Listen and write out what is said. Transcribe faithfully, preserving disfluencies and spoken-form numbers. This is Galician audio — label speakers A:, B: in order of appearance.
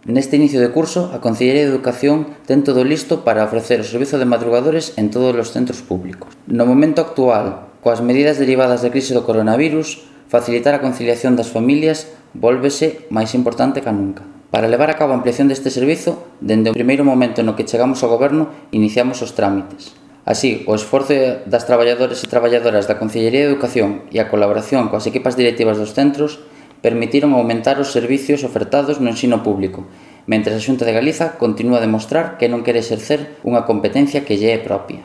A: Neste inicio de curso, a Consellería de Educación ten todo listo para ofrecer o servizo de madrugadores en todos os centros públicos. No momento actual, coas medidas derivadas da crise do coronavirus, facilitar a conciliación das familias vólvese máis importante ca nunca. Para levar a cabo a ampliación deste servizo, dende o primeiro momento no que chegamos ao Goberno, iniciamos os trámites. Así, o esforzo das traballadores e traballadoras da Consellería de Educación e a colaboración coas equipas directivas dos centros permitiron aumentar os servicios ofertados no ensino público, mentres a Xunta de Galiza continúa a demostrar que non quere exercer unha competencia que lle é propia.